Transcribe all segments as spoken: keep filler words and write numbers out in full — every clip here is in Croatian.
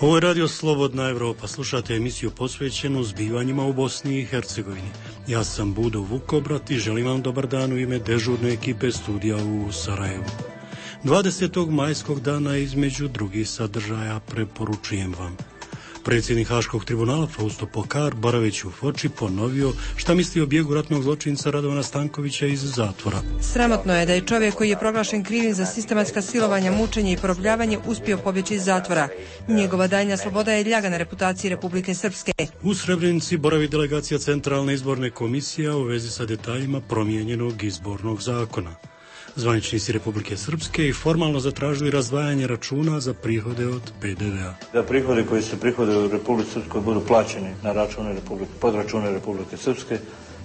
Ovo je Radio Slobodna Evropa. Slušate emisiju posvećenu zbivanjima u Bosni i Hercegovini. Ja sam Budo Vukobrat i želim vam dobar dan u ime dežurne ekipe studija u Sarajevu. dvadesetog majskog dana između drugih sadržaja preporučujem vam. Predsjednik Haškog tribunala Fausto Pokar, boraveći u Foči, ponovio šta misli o bijegu ratnog zločinca Radovana Stankovića iz zatvora. Sramotno je da je čovjek koji je proglašen krivim za sistematska silovanja, mučenje i porobljavanje uspio pobjeći iz zatvora. Njegova daljnja sloboda je ljaga na reputaciji Republike Srpske. U Srebrenici boravi delegacija Centralne izborne komisije u vezi sa detaljima promijenjenog izbornog zakona. Zvaničnici Republike Srpske i formalno zatražili razdvajanje računa za prihode od pe de ve a. Da prihodi koji se prihode u Republike Srpskoj budu plaćeni na račune Republike, pod račune Republike Srpske,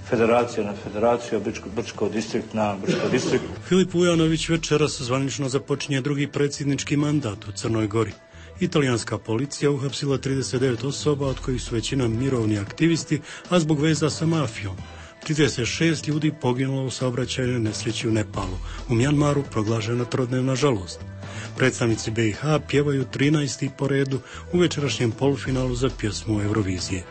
federacija na federaciju, Brčko, Brčko distrikt na Brčko distrikt. Filip Vujanović večeras zvanično započinje drugi predsjednički mandat u Crnoj Gori. Italijanska policija uhapsila trideset devet osoba, od kojih su većina mirovni aktivisti, a zbog veza sa mafijom. trideset šest ljudi poginulo u saobraćajnoj nesreći u Nepalu. U Mjanmaru proglašena trodnevna žalost. Predstavnici be i ha pjevaju trinaesti po redu u večerašnjem polufinalu za pjesmu Eurovizije.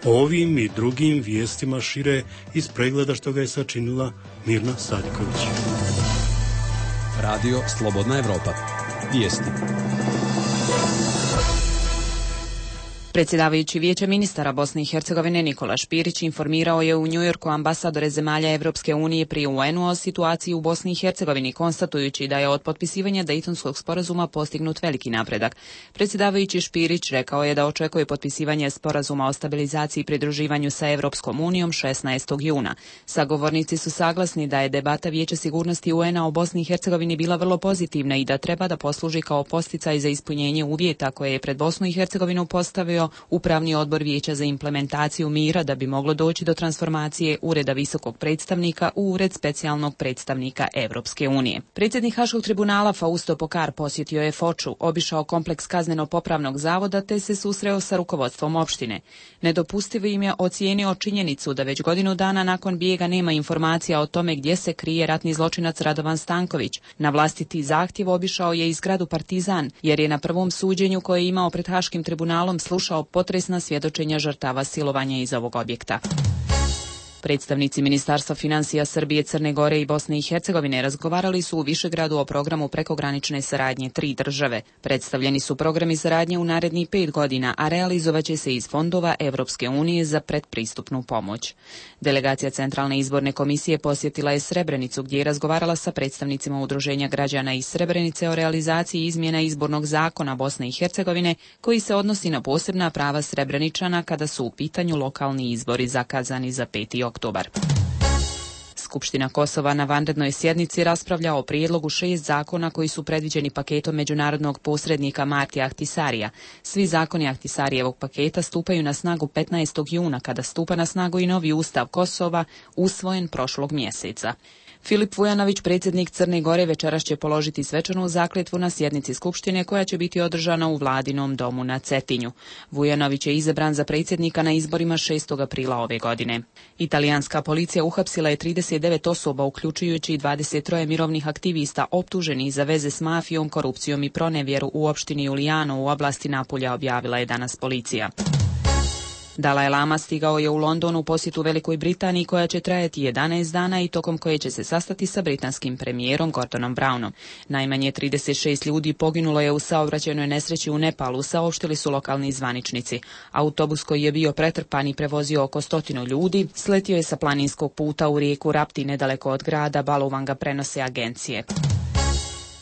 O ovim i drugim vijestima šire iz pregleda što ga je sačinila Mirna Sadiković. Radio Slobodna Evropa. Vijesti. Predsjedavajući Vijeća ministara Bosne i Hercegovine Nikola Špirić informirao je u Njujorku ambasadore zemalja Evropske unije pri u en u o situaciji u Bosni i Hercegovini, konstatujući da je od potpisivanja Dejtonskog sporazuma postignut veliki napredak. Predsjedavajući Špirić rekao je da očekuje potpisivanje sporazuma o stabilizaciji i pridruživanju sa Evropskom unijom šesnaestog juna. Sagovornici su saglasni da je debata Vijeća sigurnosti u en a o Bosni i Hercegovini bila vrlo pozitivna i da treba da posluži kao podsticaj za ispunjenje uvjeta koje je pred Bosnu i Hercegovinu postavio Upravni odbor Vijeća za implementaciju mira da bi moglo doći do transformacije Ureda visokog predstavnika u Ured specijalnog predstavnika Evropske unije. Predsjednik Haškog tribunala Fausto Pokar posjetio je Foču, obišao kompleks kazneno-popravnog zavoda te se susreo sa rukovodstvom opštine. Nedopustivo im je ocijenio činjenicu da već godinu dana nakon bijega nema informacija o tome gdje se krije ratni zločinac Radovan Stanković. Na vlastiti zahtjev obišao je i zgradu Partizan, jer je na prvom suđenju koje je imao pred Haškim tribunalom slušao potresna svjedočenja žrtava silovanja iz ovog objekta. Predstavnici Ministarstva financija Srbije, Crne Gore i Bosne i Hercegovine razgovarali su u Višegradu o programu prekogranične saradnje tri države. Predstavljeni su programi saradnje u narednih pet godina, a realizovaće se iz fondova Evropske unije za predpristupnu pomoć. Delegacija Centralne izborne komisije posjetila je Srebrenicu, gdje je razgovarala sa predstavnicima Udruženja građana iz Srebrenice o realizaciji izmjena izbornog zakona Bosne i Hercegovine, koji se odnosi na posebna prava Srebreničana kada su u pitanju lokalni izbori zakazani za peti oktobar. Skupština Kosova na vanrednoj sjednici raspravlja o prijedlogu šest zakona koji su predviđeni paketom međunarodnog posrednika Martija Ahtisarija. Svi zakoni Ahtisarijevog paketa stupaju na snagu petnaestog juna, kada stupa na snagu i novi ustav Kosova, usvojen prošlog mjeseca. Filip Vujanović, predsjednik Crne Gore, večeras će položiti svečanu zakletvu na sjednici Skupštine koja će biti održana u Vladinom domu na Cetinju. Vujanović je izabran za predsjednika na izborima šestog aprila ove godine. Italijanska policija uhapsila je trideset devet osoba, uključujući dvadeset troje mirovnih aktivista optuženih za veze s mafijom, korupcijom i pronevjeru u opštini Julijano u oblasti Napulja, objavila je danas policija. Dalaj Lama stigao je u London u posjetu Velikoj Britaniji koja će trajati jedanaest dana i tokom koje će se sastati sa britanskim premijerom Gordonom Brownom. Najmanje trideset šest ljudi poginulo je u saobraćajnoj nesreći u Nepalu, saopštili su lokalni zvaničnici. Autobus koji je bio pretrpan i prevozio oko stotinu ljudi sletio je sa planinskog puta u rijeku Rapti nedaleko od grada Baluvanga, prenose agencije.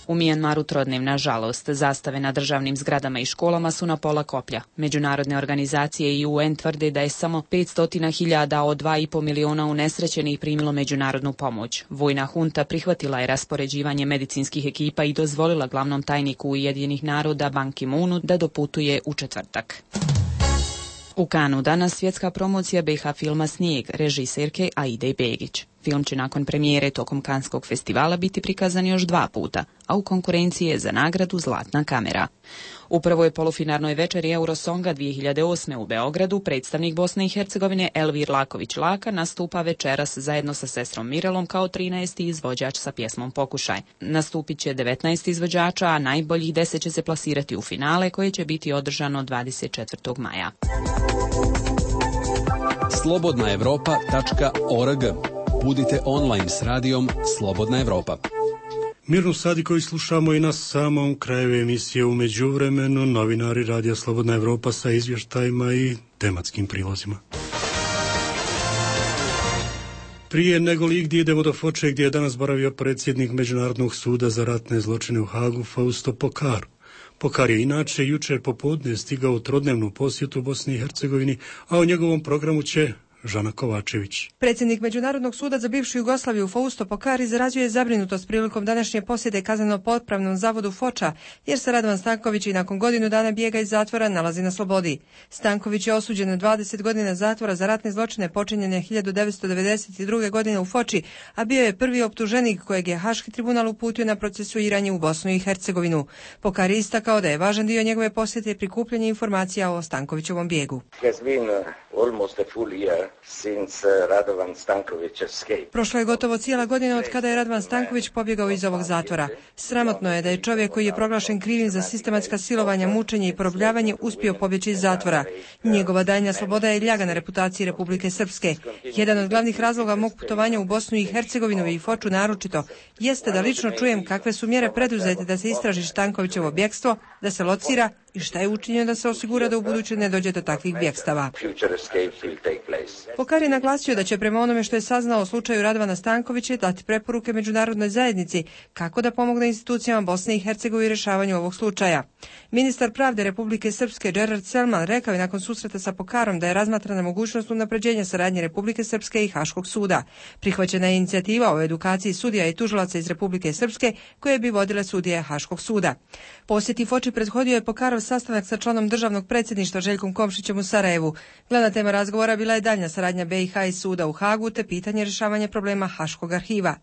U Mjanmaru trodnevna žalost. Zastave na državnim zgradama i školama su na pola koplja. Međunarodne organizacije i u en tvrde da je samo petsto hiljada od dva i po miliona unesrećenih primilo međunarodnu pomoć. Vojna hunta prihvatila je raspoređivanje medicinskih ekipa i dozvolila glavnom tajniku Ujedinjenih naroda Ban Ki-moonu da doputuje u četvrtak. U Kanu danas svjetska promocija be i ha filma Snijeg, režiserke Aide Begić. Film će nakon premijere tokom Kanskog festivala biti prikazan još dva puta, a u konkurenciji je za nagradu Zlatna kamera. U prvoj polufinalnoj večeri Eurosonga dvije hiljade osme u Beogradu predstavnik Bosne i Hercegovine Elvir Laković-Laka nastupa večeras zajedno sa sestrom Mirelom kao trinaesti izvođač sa pjesmom Pokušaj. Nastupit će devetnaest izvođača, a najboljih deset će se plasirati u finale koje će biti održano dvadeset četvrtog maja. slobodna evropa tačka org. Budite online s radijom Slobodna Evropa. Mirnu Sadiković slušamo i na samom kraju emisije. U međuvremenu novinari Radija Slobodna Evropa sa izvještajima i tematskim prilozima. Prije nego li gdje idemo do Foče, gdje je danas boravio predsjednik Međunarodnog suda za ratne zločine u Hagu Fausto Pokar. Pokar je inače jučer popodne stigao u trodnevnu posjetu Bosni i Hercegovini, a o njegovom programu će Žana Kovačević. Predsjednik Međunarodnog suda za bivšu Jugoslaviju Fausto Pokar izrazio je zabrinutost prilikom današnje posjete kazneno-popravnom zavodu Foča, jer se Radovan Stanković i nakon godinu dana bijega iz zatvora nalazi na slobodi. Stanković je osuđen na dvadeset godina zatvora za ratne zločine počinjene hiljadu devetsto devedeset druge. godine u Foči, a bio je prvi optuženik kojeg je Haški tribunal uputio na procesuiranje u Bosnu i Hercegovinu. Pokar je istakao da je važan dio njegove posjete prikupljanje informacija o Stankovićevom bijegu. Prošlo je gotovo cijela godina od kada je Radovan Stanković pobjegao iz ovog zatvora. Sramotno je da je čovjek koji je proglašen krivim za sistematska silovanja, mučenje i porobljavanje uspio pobjeći iz zatvora. Njegova daljnja sloboda je ljaga na reputaciji Republike Srpske. Jedan od glavnih razloga mog putovanja u Bosnu i Hercegovinu i Foču naročito jeste da lično čujem kakve su mjere preduzete da se istraži Stankovićevo bjekstvo, da se locira i šta je učinjeno da se osigura da u buduće ne dođe do takvih bjekstava. Pokar je naglasio da će prema onome što je saznao o slučaju Radovana Stankovića dati preporuke međunarodnoj zajednici kako da pomogne institucijama Bosne i Hercegovine u rješavanju ovog slučaja. Ministar pravde Republike Srpske Gerard Selman rekao je nakon susreta sa Pokarom da je razmatrana mogućnost unapređenja saradnje Republike Srpske i Haškog suda. Prihvaćena je inicijativa o edukaciji sudija i tužilaca iz Republike Srpske koje bi vodile sudije Haškog suda. Posjeti Foči prethodio je Pokarov sastanak sa članom državnog predsjedništva Željkom Komšićem u Sarajevu. Glavna tema razgovora bila je daljnja saradnja B i H i suda u Hagu te pitanje rješavanja problema Haškog arhiva.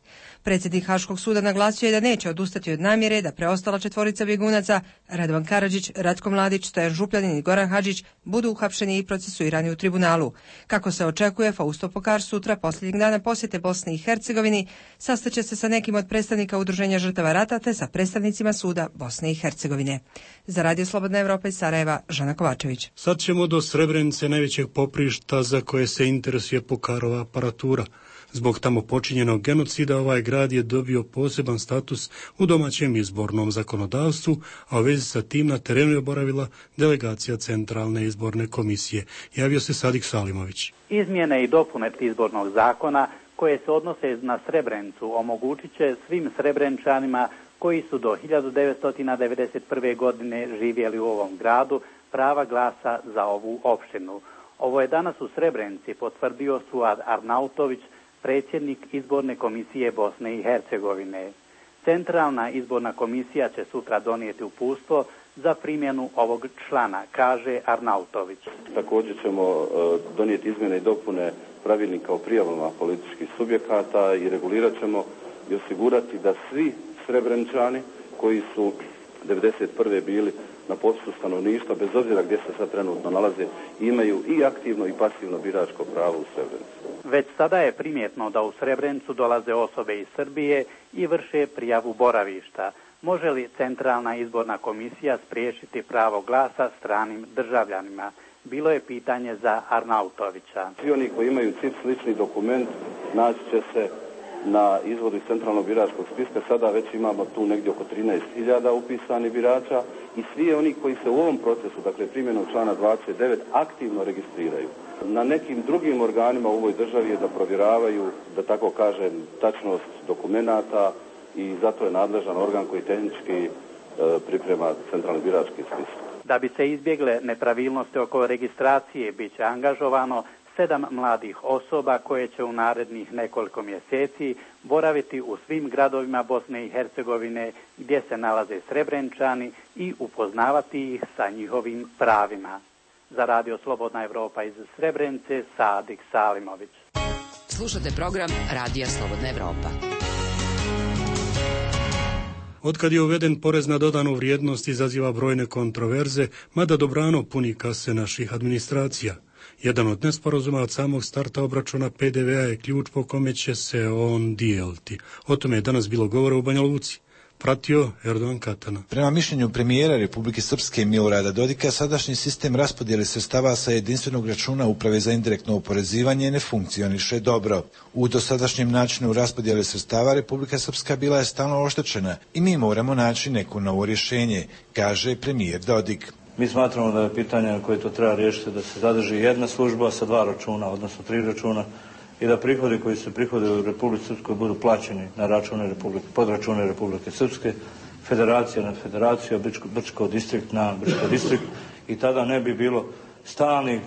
Predsjednik Haškog suda naglasio je da neće odustati od namjere da preostala četvorica bjegunaca Radovan Karadžić, Ratko Mladić, Stojan Župljanin i Goran Hadžić budu uhapšeni i procesuirani u tribunalu. Kako se očekuje, Fausto Pokar sutra posljednjeg dana posjete Bosni i Hercegovini sastaće se sa nekim od predstavnika Udruženja žrtava rata te sa predstavnicima suda Bosne i Hercegovine. Za Radio Slobodna Evropa iz Sarajeva, Žana Kovačević. Sad ćemo do Srebrenice, najvećeg poprišta za koje se interesuje Pokarova aparatura. Zbog tamo počinjenog genocida ovaj grad je dobio poseban status u domaćem izbornom zakonodavstvu, a u vezi sa tim na terenu je boravila delegacija Centralne izborne komisije. Javio se Sadik Salimović. Izmjene i dopune izbornog zakona koje se odnose na Srebrenicu omogućit će svim Srebrenčanima koji su do hiljadu devetsto devedeset prve. godine živjeli u ovom gradu prava glasa za ovu opštinu. Ovo je danas u Srebrenici potvrdio Suad Arnautović, predsjednik izborne komisije Bosne i Hercegovine. Centralna izborna komisija će sutra donijeti uputstvo za primjenu ovog člana, kaže Arnautović. Također ćemo donijeti izmjene i dopune pravilnika o prijavama političkih subjekata i regulirat ćemo i osigurati da svi Srebreničani koji su devedeset prve bili na popisu stanovništva, bez obzira gdje se sad trenutno nalaze, imaju i aktivno i pasivno biračko pravo u Srebrenici. Već sada je primjetno da u Srebrenicu dolaze osobe iz Srbije i vrše prijavu boravišta. Može li Centralna izborna komisija spriječiti pravo glasa stranim državljanima? Bilo je pitanje za Arnautovića. Svi oni koji imaju C I P slični dokument naći će se na izvodu iz centralnog biračkog spiska. Sada već imamo tu negdje oko trinaest hiljada upisanih birača i svi oni koji se u ovom procesu, dakle primjenom člana dvadeset devet, aktivno registriraju. Na nekim drugim organima u ovoj državi je da provjeravaju, da tako kažem, tačnost dokumenata i zato je nadležan organ koji tehnički e, priprema centralni birački spisak. Da bi se izbjegle nepravilnosti oko registracije, bit će angažovano sedam mladih osoba koje će u narednih nekoliko mjeseci boraviti u svim gradovima Bosne i Hercegovine gdje se nalaze Srebreničani i upoznavati ih sa njihovim pravima. Za Radio Slobodna Evropa iz Srebrenice, Sadik Salimović. Slušate program Radija Slobodna Evropa. Otkad je uveden porez na dodanu vrijednost izaziva brojne kontroverze, mada dobrano puni kase naših administracija. Jedan od nesporazuma od samog starta obračuna pe de ve a je ključ po kome će se on dijeliti. O tome je danas bilo govora u Banja Luci. Pratio Erdogan Katana. Prema mišljenju premijera Republike Srpske Milorada Dodika, sadašnji sistem raspodjele sredstava sa jedinstvenog računa Uprave za indirektno oporezivanje ne funkcioniše dobro. U dosadašnjem načinu raspodjele sredstava Republika Srpska bila je stalno oštećena i mi moramo naći neko novo rješenje, kaže premijer Dodik. Mi smatramo da je pitanje koje to treba riješiti da se zadrži jedna služba sa dva računa, odnosno tri računa, i da prihodi koji se prihode u Republici Srpskoj budu plaćeni na račune Republike, pod račune Republike Srpske, federacija na federaciju, Brčko, Brčko distrikt na Brčko distrikt, i tada ne bi bilo stalnih,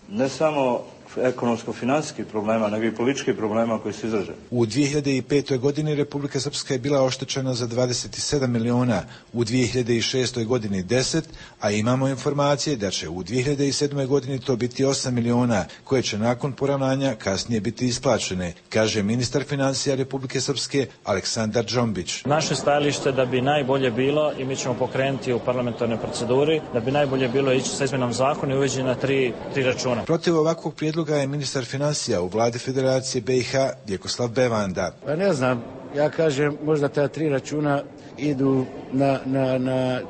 ne samo ekonomsko-financijskih problema, nego i političkih problema koji se izraže. U dvije hiljade petoj godini Republika Srpska je bila oštećena za dvadeset sedam miliona, u dvije hiljade šestoj godini deset, a imamo informacije da će u dvije hiljade sedmoj godini to biti osam miliona, koje će nakon poravnanja kasnije biti isplaćene, kaže ministar financija Republike Srpske Aleksandar Džombić. Naše stajalište da bi najbolje bilo, i mi ćemo pokrenuti u parlamentarnoj proceduri, da bi najbolje bilo ići sa izmenom zakona i uveđenje na tri, tri računa. Protiv ovakvog prijedloga je ministar financija u vladi Federacije be i ha Vjekoslav Bevanda. Pa ne znam, ja kažem možda ta tri računa idu na, na, na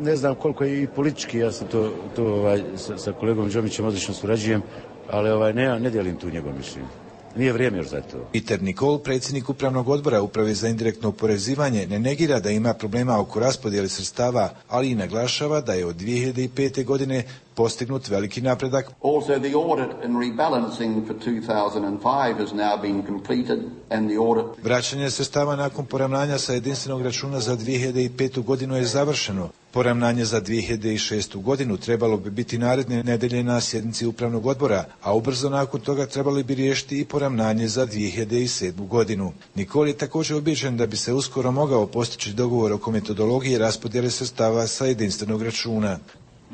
ne znam koliko je i politički, ja sam to, to ovaj, sa, sa kolegom Džomićem odlično surađujem, ali ovaj, ne, ne dijelim tu njegov mišljenje. Nije vrijeme još za to. Peter Nikol, predsjednik upravnog odbora Uprave za indirektno oporezivanje, ne negira da ima problema oko raspodjele sredstava, ali i naglašava da je od dvije hiljade pete godine postignut veliki napredak. Also the audit and rebalancing for two thousand five has now been completed and the audit. Vraćanje sredstava nakon poravnanja sa jedinstvenog računa za dvije hiljade petu godinu je završeno. Poravnanje za dvije hiljade šestu godinu trebalo bi biti naredne nedelje na sjednici upravnog odbora, a ubrzo nakon toga trebali bi riješiti i poravnanje za dvije hiljade sedmu godinu. Nikol je također ubijeđen da bi se uskoro mogao postići dogovor oko metodologije raspodjele sredstava sa jedinstvenog računa.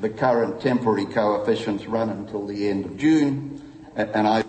The current temporary coefficients run until the end of June.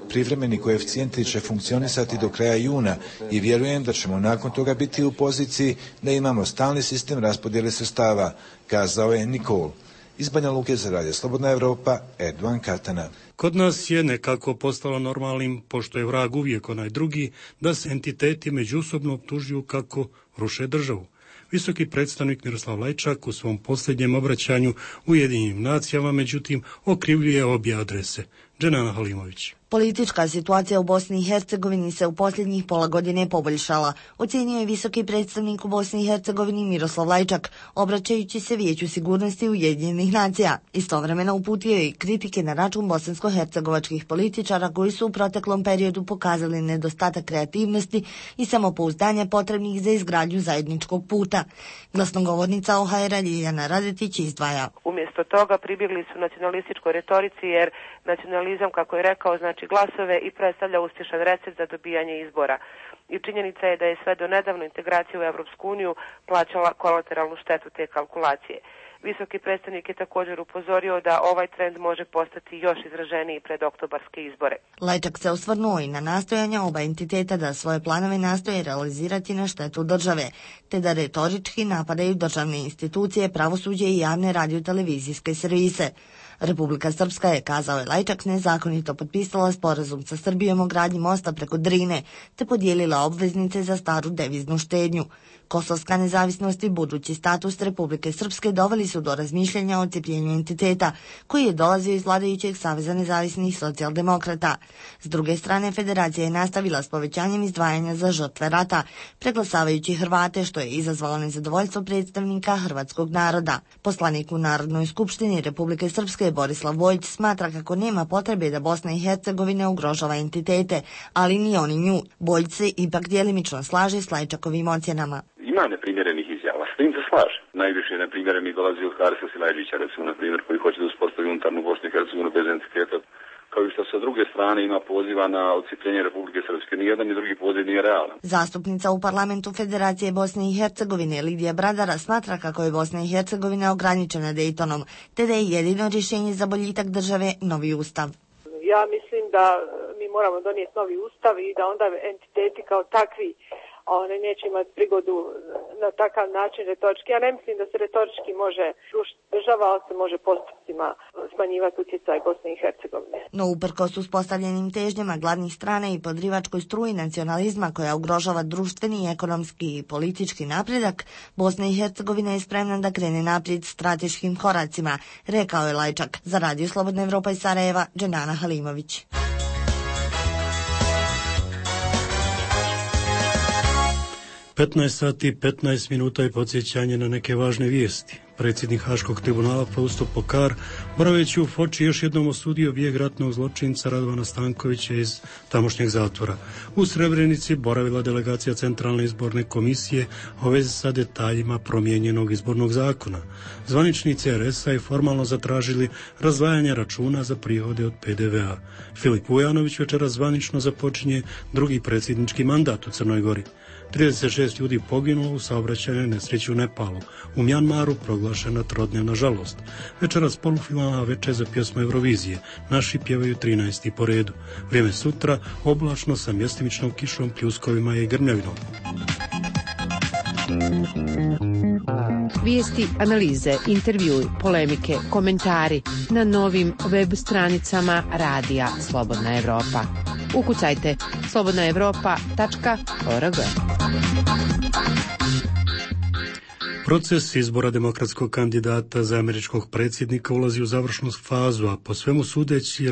Privremeni koeficijenti će funkcionisati do kraja juna i vjerujem da ćemo nakon toga biti u poziciji da imamo stalni sistem raspodjele sredstava, kazao je Nikol. Iz Banja Luke za Radio Slobodna Evropa, Erdogan Katana. Kod nas je nekako postalo normalnim, pošto je vrag uvijek onaj drugi, da se entiteti međusobno optužuju kako ruše državu. Visoki predstavnik Miroslav Lajčak u svom posljednjem obraćanju Ujedinjenim nacijama, međutim, okrivljuje obje adrese. Dženana Halimović. Politička situacija u Bosni i Hercegovini se u posljednjih pola godine poboljšala, ocjenio je visoki predstavnik u Bosni i Hercegovini Miroslav Lajčak, obraćajući se Vijeću sigurnosti Ujedinjenih nacija. Istovremeno uputio je i kritike na račun bosansko-hercegovačkih političara koji su u proteklom periodu pokazali nedostatak kreativnosti i samopouzdanja potrebnih za izgradnju zajedničkog puta. Glasnogovornica o ha er a Ljiljana Radetić izdvaja. Umjesto toga pribjegli su nacionalističkoj retorici, jer nacionalizam, kako je rekao, znači glasove i predstavlja uspješan recept za dobijanje izbora. I činjenica je da je sve do nedavno integracija u Europsku uniju plaćala kolateralnu štetu te kalkulacije. Visoki predstavnik je također upozorio da ovaj trend može postati još izraženiji pred oktobarske izbore. Lajčak se osvrnuo i na nastojanja oba entiteta da svoje planove nastoje realizirati na štetu države, te da retorički napadaju državne institucije, pravosuđe i javne radio-televizijske servise. Republika Srpska je, kazao je Lajčak, nezakonito potpisala sporazum sa Srbijom o gradnji mosta preko Drine, te podijelila obveznice za staru deviznu štednju. Kosovska nezavisnost i budući status Republike Srpske doveli su do razmišljanja o odcepljenju entiteta, koji je dolazio iz vladajućeg Saveza nezavisnih socijaldemokrata. S druge strane, federacija je nastavila s povećanjem izdvajanja za žrtve rata, preglasavajući Hrvate, što je izazvalo nezadovoljstvo predstavnika hrvatskog naroda. Poslanik u Narodnoj skupštini Republike Srpske Borislav Vojić smatra kako nema potrebe da Bosna i Hercegovina ugrožava entitete, ali ni oni nju. Vojić se ipak djelimično slaže s Lajčakovim ocjenama. Ima neprimjerenih izjava, s tim se slaže. Najviše neprimjerenih dolazi od Harisa Silajđića, recimo, na primjer, koji hoće da uspostavi unutarnju Bosnu i Hercegovinu bez entiteta, kao i što sa druge strane ima poziva na odcijepljenje Republike Srpske. Nijedan ni drugi poziv nije realan. Zastupnica u parlamentu Federacije Bosne i Hercegovine Lidija Bradara smatra kako je Bosna i Hercegovina ograničena Dejtonom, te da je jedino rješenje za boljitak države novi ustav. Ja mislim da mi moramo donijeti novi ustav i da onda entiteti kao takvi one neće imati prigodu na takav način retorički. Ja ne mislim da se retorički može rušiti država, ali se može postupcima smanjivati utjecaj Bosne i Hercegovine. No uprkos uspostavljenim težnjama glavnih strana i podrivačkoj struji nacionalizma koja ugrožava društveni, ekonomski i politički napredak, Bosna i Hercegovina je spremna da krene naprijed strateškim koracima, rekao je Lajčak. Za Radio Slobodna Evropa iz Sarajeva, Dženana Halimović. petnaest sati i petnaest minuta i podsjećanje na neke važne vijesti. Predsjednik Haškog tribunala Fausto Pokar, boraveći u Foči, još jednom osudio bijeg ratnog zločinca Radovana Stankovića iz tamošnjeg zatvora. U Srebrenici boravila delegacija Centralne izborne komisije o vezi sa detaljima promijenjenog izbornog zakona. Zvaničnici er es a i formalno zatražili razdvajanje računa za prihode od pe de ve a. Filip Vujanović večeras zvanično započinje drugi predsjednički mandat u Crnoj Gori. trideset šest ljudi poginulo u saobraćajnoj nesreći u Nepalu. U Mjanmaru proglašena trodnevna žalost. Večeras polufinalna večer za pjesmu Eurovizije. Naši pjevaju trinaesti po redu. Vrijeme sutra oblačno sa mjestimičnom kišom, pljuskovima i grmljavinom. Vijesti, analize, intervjui, polemike, komentari na novim web stranicama Radija Slobodna Evropa. Ukucajte slobodna evropa tačka org. Proces izbora demokratskog kandidata za američkog predsjednika ulazi u završnu fazu, a po svemu sudeći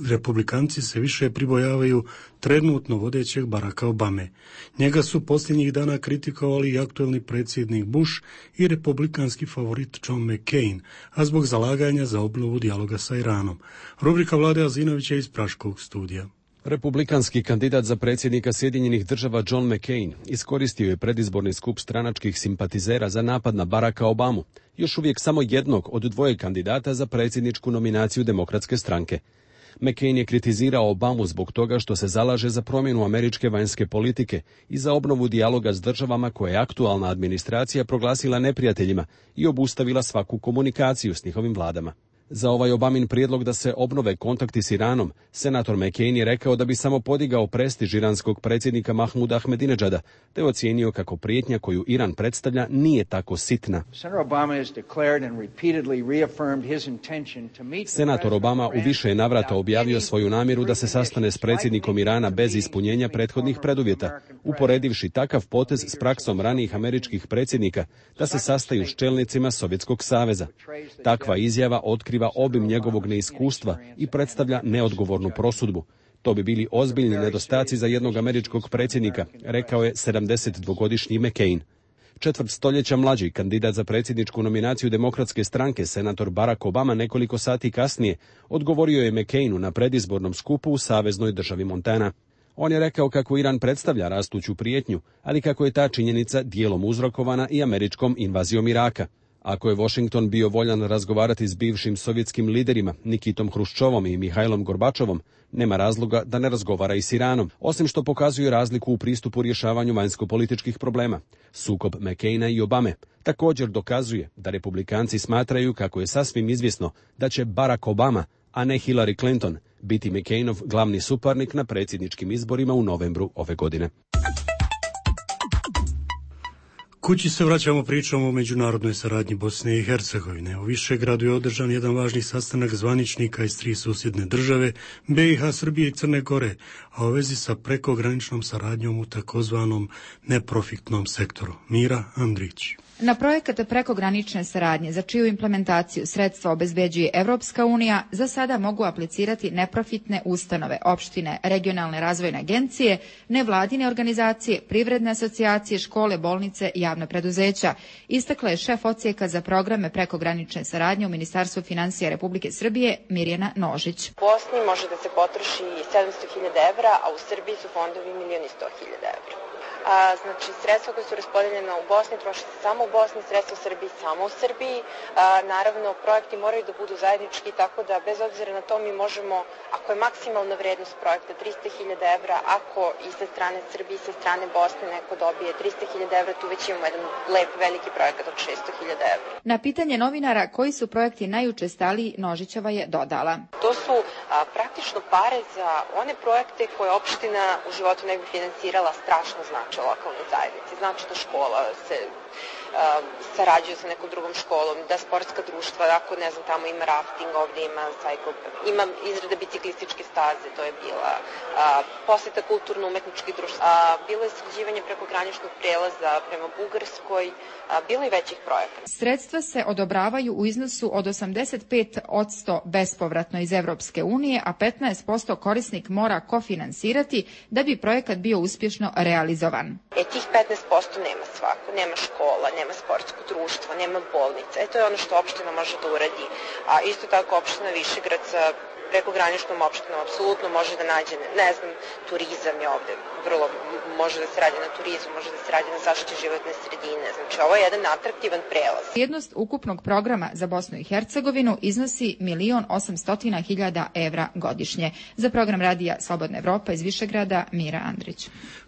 republikanci se više pribojavaju trenutno vodećeg Baracka Obame. Njega su posljednjih dana kritikovali i aktuelni predsjednik Bush i republikanski favorit John McCain, a zbog zalaganja za obnovu dijaloga sa Iranom. Rubrika Vlade Azinovića iz Praškog studija. Republikanski kandidat za predsjednika Sjedinjenih država John McCain iskoristio je predizborni skup stranačkih simpatizera za napad na Baracka Obamu, još uvijek samo jednog od dvoje kandidata za predsjedničku nominaciju Demokratske stranke. McCain je kritizirao Obamu zbog toga što se zalaže za promjenu američke vanjske politike i za obnovu dijaloga s državama koje je aktualna administracija proglasila neprijateljima i obustavila svaku komunikaciju s njihovim vladama. Za ovaj Obamin prijedlog da se obnove kontakti s Iranom, senator McCain je rekao da bi samo podigao prestiž iranskog predsjednika Mahmuda Ahmedinedžada, te ocijenio kako prijetnja koju Iran predstavlja nije tako sitna. Senator Obama u više je navrata objavio svoju namjeru da se sastane s predsjednikom Irana bez ispunjenja prethodnih preduvjeta, uporedivši takav potez s praksom ranijih američkih predsjednika da se sastaju s čelnicima Sovjetskog saveza. Takva izjava otkriva obim njegovog neiskustva i predstavlja neodgovornu prosudbu. To bi bili ozbiljni nedostaci za jednog američkog predsjednika, rekao je sedamdesetdvogodišnji McCain. Četvrt stoljeća mlađi kandidat za predsjedničku nominaciju Demokratske stranke, senator Barack Obama, nekoliko sati kasnije odgovorio je McCainu na predizbornom skupu u saveznoj državi Montana. On je rekao kako Iran predstavlja rastuću prijetnju, ali kako je ta činjenica dijelom uzrokovana i američkom invazijom Iraka. Ako je Washington bio voljan razgovarati s bivšim sovjetskim liderima Nikitom Hruščovom i Mihajlom Gorbačovom, nema razloga da ne razgovara i s Iranom, osim što pokazuje razliku u pristupu rješavanju vanjsko-političkih problema. Sukob McCaina i Obame također dokazuje da republikanci smatraju kako je sasvim izvjesno da će Barack Obama, a ne Hillary Clinton, biti McCainov glavni suparnik na predsjedničkim izborima u novembru ove godine. Kući se vraćamo pričom o međunarodnoj saradnji Bosne i Hercegovine. U Višegradu je održan jedan važni sastanak zvaničnika iz tri susjedne države, be i ha, Srbije i Crne Gore, a u vezi sa prekograničnom saradnjom u takozvanom neprofitnom sektoru. Mira Andrić. Na projekat prekogranične saradnje za čiju implementaciju sredstva obezbeđuje Evropska unija za sada mogu aplicirati neprofitne ustanove, opštine, regionalne razvojne agencije, nevladine organizacije, privredne asocijacije, škole, bolnice i javna preduzeća, istakla je šef odsjeka za programe prekogranične saradnje u Ministarstvu finansija Republike Srbije Mirjana Nožić. U Bosni može da se potroši sedamsto hiljada evra, a u Srbiji su fondovi milijon i sto hiljada evra. A, znači, sredstva koje su raspodeljena u Bosni troše se samo u Bosni, sredstva u Srbiji samo u Srbiji. A, naravno, projekti moraju da budu zajednički, tako da bez obzira na to mi možemo, ako je maksimalna vrednost projekta trista hiljada evra, ako i sa strane Srbije i sa strane Bosne neko dobije trista hiljada evra, tu već imamo jedan lep, veliki projekat od šesto hiljada evra. Na pitanje novinara koji su projekti najučestaliji, Nožićeva je dodala. To su a, praktično pare za one projekte koje opština u životu ne bi finansirala, strašno znači lokalnoj zajednici. Znači da škola se uh, sarađuje sa nekom drugom školom, da sportska društva, ako ne znam, tamo ima rafting, ovdje ima cycle, ima izrada biciklističke staze, to je bila uh, poseta kulturno-umetničkih društva, uh, bilo je sređivanje prekograničnog prelaza prema Bugarskoj, uh, bilo je većih projekata. Sredstva se odobravaju u iznosu od osamdeset pet posto bespovratno iz Evropske unije, a petnaest posto korisnik mora kofinansirati da bi projekat bio uspješno realizovan. E, tih petnaest posto nema svako, nema škola, nema sportsko društvo, nema bolnica. E, to je ono što opština može da uradi. A isto tako opština Višegrad sa prekograničnom opštinom apsolutno može da nađe, ne znam, turizam je ovde vrlo, može da se radi na turizmu, može da se radi na zaštiti životne sredine. Znači, ovo je jedan atraktivan prelaz. Vrijednost ukupnog programa za Bosnu i Hercegovinu iznosi milion osamsto hiljada evra godišnje. Za program radija Slobodna Evropa iz Višegrada, Mira Andrić.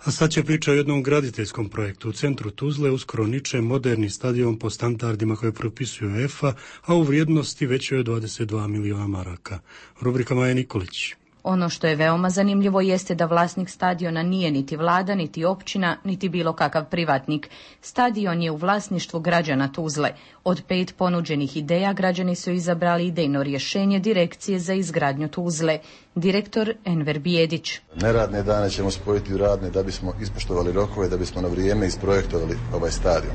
A sad će priča o jednom graditeljskom projektu. U centru Tuzle uskoro niče moderni stadion po standardima koje propisuje UEFA, a u vrijednosti većoj je dvadeset dva miliona maraka. Rubrika Maja Nikolić. Ono što je veoma zanimljivo jeste da vlasnik stadiona nije niti vlada, niti općina, niti bilo kakav privatnik. Stadion je u vlasništvu građana Tuzle. Od pet ponuđenih ideja građani su izabrali idejno rješenje direkcije za izgradnju Tuzle. Direktor Enver Bijedić. Neradne dane ćemo spojiti u radne da bismo ispoštovali rokove, da bismo na vrijeme isprojektovali ovaj stadion.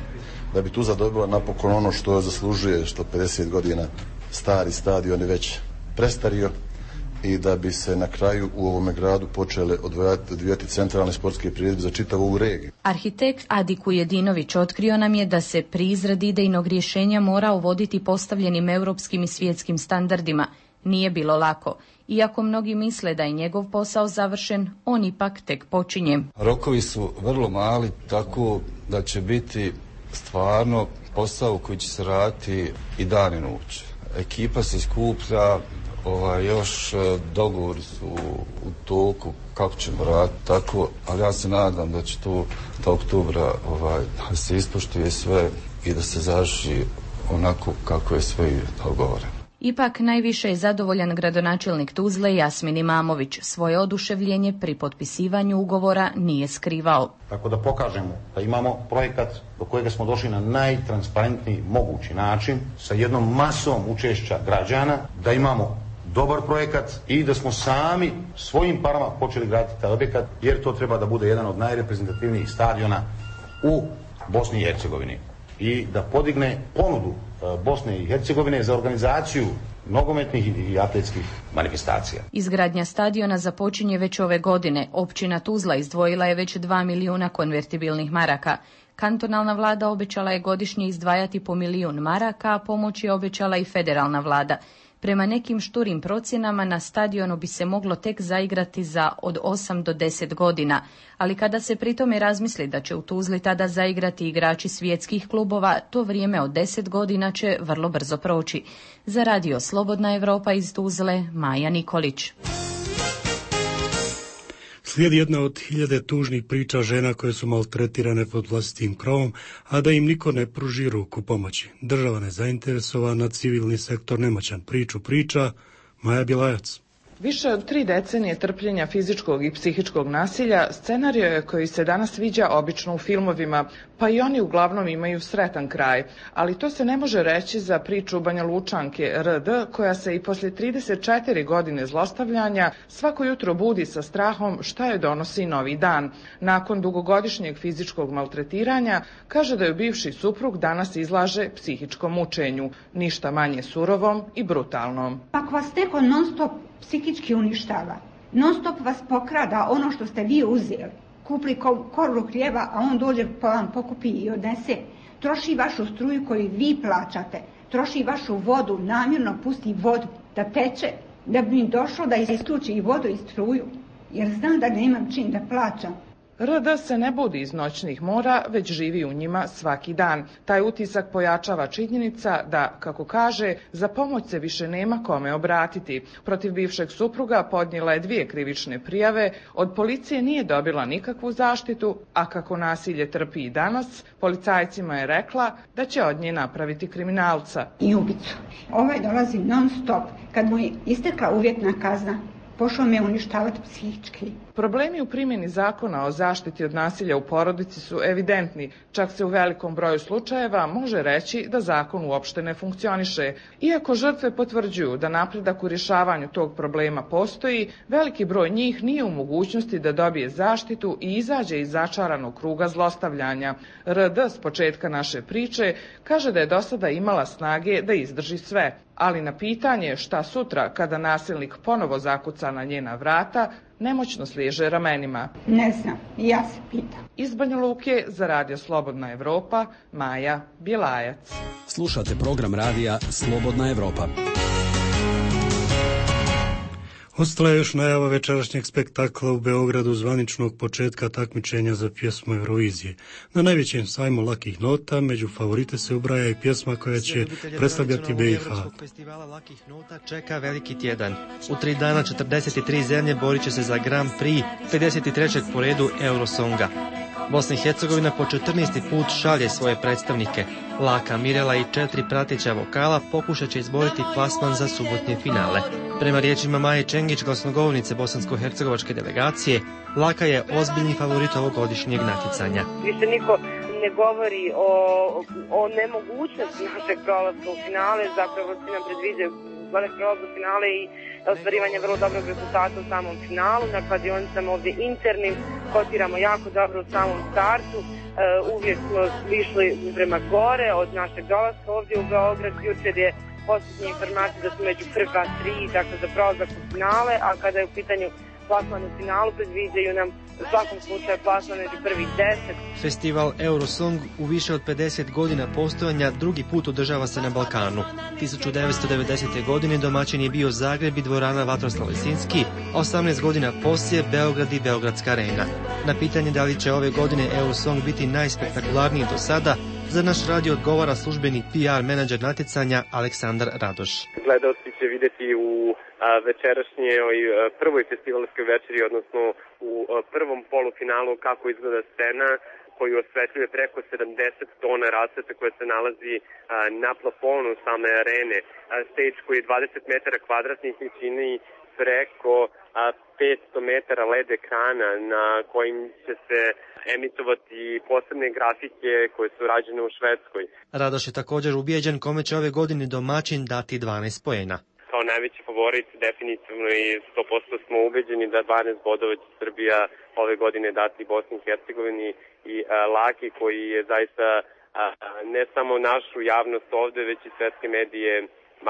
Da bi Tuzla dobila napokon ono što zaslužuje, što pedeset godina stari stadion je već prestario, i da bi se na kraju u ovome gradu počele odvijati centralne sportske priredbe za čitavu ovu regiju. Arhitekt Adi Kujedinović otkrio nam je da se pri izradi idejnog rješenja mora uvoditi postavljenim europskim i svjetskim standardima. Nije bilo lako. Iako mnogi misle da je njegov posao završen, on ipak tek počinje. Rokovi su vrlo mali, tako da će biti stvarno posao koji će se raditi i dan i noć. Ekipa se skuplja, Ovaj, još dogovori su u toku kako ćemo raditi tako, ali ja se nadam da će to do oktobra ovaj, da se ispoštuje sve i da se završi onako kako je sve dogovoreno. Ipak najviše je zadovoljan gradonačelnik Tuzle Jasmin Imamović. Svoje oduševljenje pri potpisivanju ugovora nije skrivao. Tako da pokažemo da imamo projekat do kojega smo došli na najtransparentniji mogući način, sa jednom masom učešća građana, da imamo dobar projekat i da smo sami svojim parama počeli graditi taj objekat, jer to treba da bude jedan od najreprezentativnijih stadiona u Bosni i Hercegovini i da podigne ponudu Bosne i Hercegovine za organizaciju nogometnih i atletskih manifestacija. Izgradnja stadiona započinje već ove godine. Općina Tuzla izdvojila je već dva milijuna konvertibilnih maraka. Kantonalna vlada obećala je godišnje izdvajati po milijun maraka, a pomoć je obećala i federalna vlada. Prema nekim šturim procjenama na stadionu bi se moglo tek zaigrati za od osam do deset godina, ali kada se pri tome razmisli da će u Tuzli tada zaigrati igrači svjetskih klubova, to vrijeme od deset godina će vrlo brzo proći. Za radio Slobodna Evropa iz Tuzle, Maja Nikolić. Slijedi jedna od hiljade tužnih priča žena koje su maltretirane pod vlastitim krovom, a da im niko ne pruži ruku pomoći. Država nezainteresovana, civilni sektor nemoćan. Priču priča Maja Bilajac. Više od tri decenije trpljenja fizičkog i psihičkog nasilja scenario je koji se danas viđa obično u filmovima, pa i oni uglavnom imaju sretan kraj. Ali to se ne može reći za priču Banja Lučanke R D, koja se i poslije trideset četiri godine zlostavljanja svako jutro budi sa strahom šta je donosi novi dan. Nakon dugogodišnjeg fizičkog maltretiranja, kaže da je bivši suprug danas izlaže psihičkom mučenju, ništa manje surovom i brutalnom. Ako vas neko non stop psihički uništava, non stop vas pokrada ono što ste vi uzeli, kupli koru hljeba, a on dođe pa vam pokupi i odnese, troši vašu struju koju vi plaćate, troši vašu vodu, namjerno pusti vodu da teče, da bi mi došlo da isključi i vodu i struju, jer znam da nemam čim da plaćam. R D se ne budi iz noćnih mora, već živi u njima svaki dan. Taj utisak pojačava činjenica da, kako kaže, za pomoć se više nema kome obratiti. Protiv bivšeg supruga podnijela je dvije krivične prijave, od policije nije dobila nikakvu zaštitu, a kako nasilje trpi i danas, policajcima je rekla da će od nje napraviti kriminalca. I ubicu. Ovaj dolazi non stop. Kad mu je istekla uvjetna kazna, pošao me uništavati psihički. Problemi u primjeni zakona o zaštiti od nasilja u porodici su evidentni. Čak se u velikom broju slučajeva može reći da zakon uopšte ne funkcioniše. Iako žrtve potvrđuju da napredak u rješavanju tog problema postoji, veliki broj njih nije u mogućnosti da dobije zaštitu i izađe iz začaranog kruga zlostavljanja. R D s početka naše priče kaže da je do sada imala snage da izdrži sve, ali na pitanje šta sutra kada nasilnik ponovo zakuca na njena vrata, nemoćno sliježe ramenima. Ne znam, ja se pitam. Iz Banja Luke za Radio Slobodna Evropa, Maja Bjelajac. Slušate program radija Slobodna Evropa. Ostala je još najava večerašnjeg spektakla u Beogradu zvaničnog početka takmičenja za pjesmu Eurovizije. Na najvećem sajmu lakih nota među favorite se ubraja i pjesma koja će predstavljati B i H. Festivala lakih nota čeka veliki tjedan. U tri dana četrdeset tri zemlje borit će se za Grand Prix pedeset trećeg po redu Eurosonga. Bosna i Hercegovina po četrnaesti put šalje svoje predstavnike. Laka, Mirela i četiri prateća vokala pokušat će izboriti plasman za subotnje finale. Prema riječima Maje Čengić, glasnogovornice bosansko-hercegovačke delegacije, Laka je ozbiljni favorit ovogodišnjeg natjecanja. Više niko ne govori o, o nemogućnosti našeg prolaska u finale, zapravo svi nam predviđaju prolaz u finale i ostvarivanje vrlo dobrog rezultata u samom finalu. Na kladionicama ovdje internim kotiramo jako dobro u samom startu. Uh, uvijek smo išli prema gore od našeg dolaska ovdje u Beograd. Jučer je posljednja informacija da su među prva tri, dakle za prolazak u finale, a kada je u pitanju plasman u finalu, predviđaju nam u svakom slučaju plasman među prvih deset. Festival Eurosong u više od pedeset godina postojanja drugi put održava se na Balkanu. tisuću devetsto devedesete. godine domaćin je bio Zagreb i dvorana Vatroslav Lisinski, a osamnaest godina poslije Beograd i Beogradska arena. Na pitanje da li će ove godine Eurosong biti najspektakularniji do sada, za naš radio odgovara službeni P R menadžer natjecanja Aleksandar Radoš. Gledaoci će vidjeti u večerašnjoj prvoj festivalskoj večeri, odnosno u prvom polufinalu kako izgleda scena koju osvetljuje preko sedamdeset tona rasvete koja se nalazi na plafonu same arene. Stage koji je dvadeset metara kvadratnih i čini preko petsto metara L E D ekrana na kojim će se emitovati posebne grafike koje su rađene u Švedskoj. Radoš je također ubijeđen kome će ove godine domaćin dati dvanaest poena. Kao najveći favorit definitivno i sto posto smo ubeđeni da dvanaest bodova će Srbija ove godine dati Bosni i Hercegovini i a, Laki koji je zaista a, a, ne samo našu javnost ovde, već i svetske medije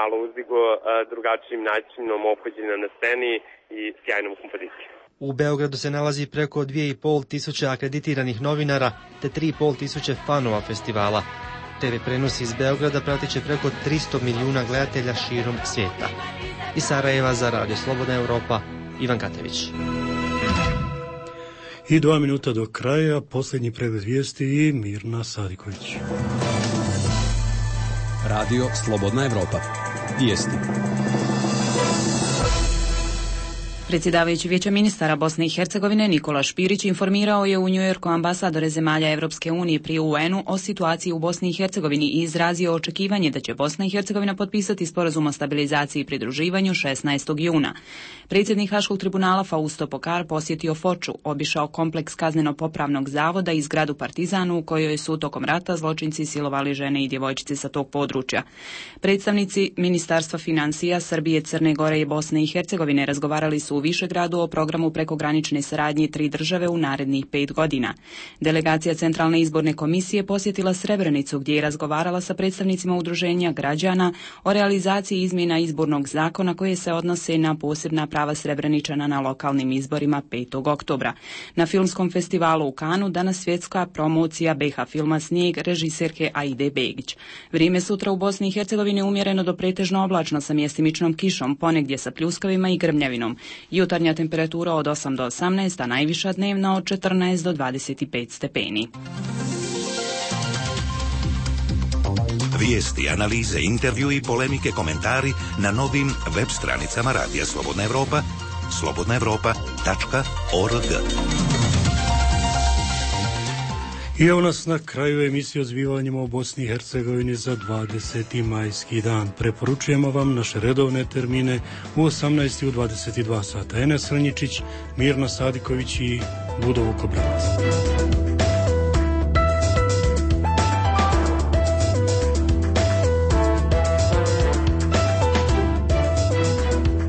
malo uzdigo a, drugačijim načinom ophođenja na sceni i sjajnom kompozicijom. U Beogradu se nalazi preko dvije i pol tisuće akreditiranih novinara te tri i pol tisuće fanova festivala. T V prenos iz Beograda pratit će preko tristo milijuna gledatelja širom svijeta. Iz Sarajeva za Radio Slobodna Evropa, Ivan Katević. I dva minuta do kraja, posljednji pregled vijesti i Mirna Sadiković. Radio Slobodna Evropa. Vijesti. Predsjedavajući Vijeća ministara Bosne i Hercegovine Nikola Špirić informirao je u Njujorku ambasadore zemalja Evropske unije pri U N-u o situaciji u Bosni i Hercegovini i izrazio očekivanje da će Bosna i Hercegovina potpisati sporazum o stabilizaciji i pridruživanju šesnaestog juna. Predsjednik Haškog tribunala Fausto Pokar posjetio Foču, obišao kompleks kazneno-popravnog zavoda i zgradu Partizanu u kojoj su tokom rata zločinci silovali žene i djevojčice sa tog područja. Predstavnici Ministarstva financija Srbije, Crne Gore i Bosne i Hercegovine razgovarali su u Višegradu o programu prekogranične saradnje tri države u narednih pet godina. Delegacija Centralne izborne komisije posjetila Srebrenicu gdje je razgovarala sa predstavnicima udruženja građana o realizaciji izmjena izbornog zakona koje se odnose na posebna prava Srebreničana na lokalnim izborima petog oktobra. Na filmskom festivalu u Kanu danas svjetska promocija B H filma Snijeg režiserke Aide Begić. Vrijeme sutra u Bosni i Hercegovini umjereno do pretežno oblačno sa mjestimičnom kišom, ponegdje sa pljuskavima i grmljavinom. Jutarnja temperatura od osam do osamnaest, a najviša dnevna od četrnaest do dvadeset pet stepeni. Vijesti, analize, intervju i polemike, komentari na novim web stranicama Radija Slobodna Evropa, slobodna evropa tačka org. I evo nas na kraju emisije o zbivanjima u Bosni i Hercegovini za dvadeseti majski dan. Preporučujemo vam naše redovne termine u osamnaest i u dvadeset dva sata. Enes Ranjičić, Mirna Sadiković i Budo Vukobranac.